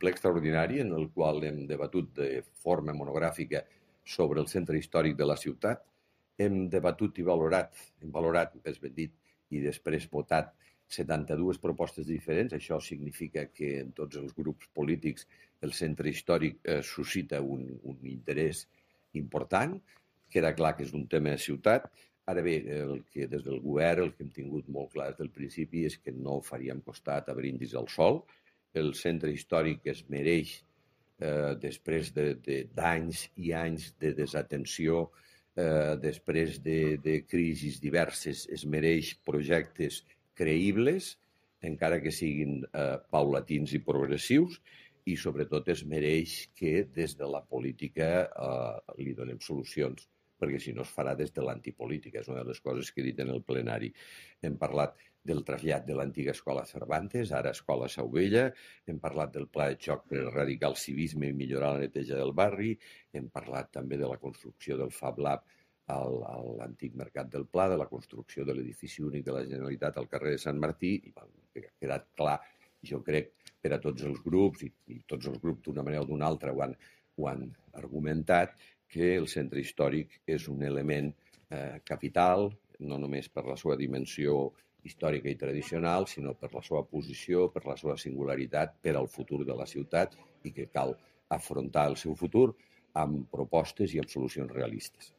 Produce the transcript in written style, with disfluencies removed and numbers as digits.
ple extraordinari en el qual hem debatut de forma monogràfica sobre el centre històric de la ciutat. Hem debatut i valorat, més ben dit, i després votat 72 propostes diferents. Això significa que en tots els grups polítics el centre històric suscita un interès important. Queda clar que és un tema de ciutat. Ara bé, el que des del govern el que hem tingut molt clar des del principi és que no faríem costat a brindis al sol. El centre històric es mereix, després d'anys i anys de desatenció, després de crisis diverses, es mereix projectes creïbles, encara que siguin paulatins i progressius, i sobretot es mereix que des de la política li donem solucions, perquè si no es farà des de l'antipolítica. És una de les coses que he dit en el plenari. Hem parlat del trasllat de l'antiga escola Cervantes, ara escola Sauvella, hem parlat del pla de xoc per erradicar el civisme i millorar la neteja del barri, hem parlat també de la construcció del Fab Lab a l'antic Mercat del Pla, de la construcció de l'edifici únic de la Generalitat al carrer de Sant Martí, i ha quedat clar, jo crec, per a tots els grups, i tots els grups d'una manera o d'una altra ho han argumentat, que el centre històric és un element capital, no només per la seva dimensió històrica i tradicional, sinó per la seva posició, per la seva singularitat, per al futur de la ciutat, i que cal afrontar el seu futur amb propostes i amb solucions realistes.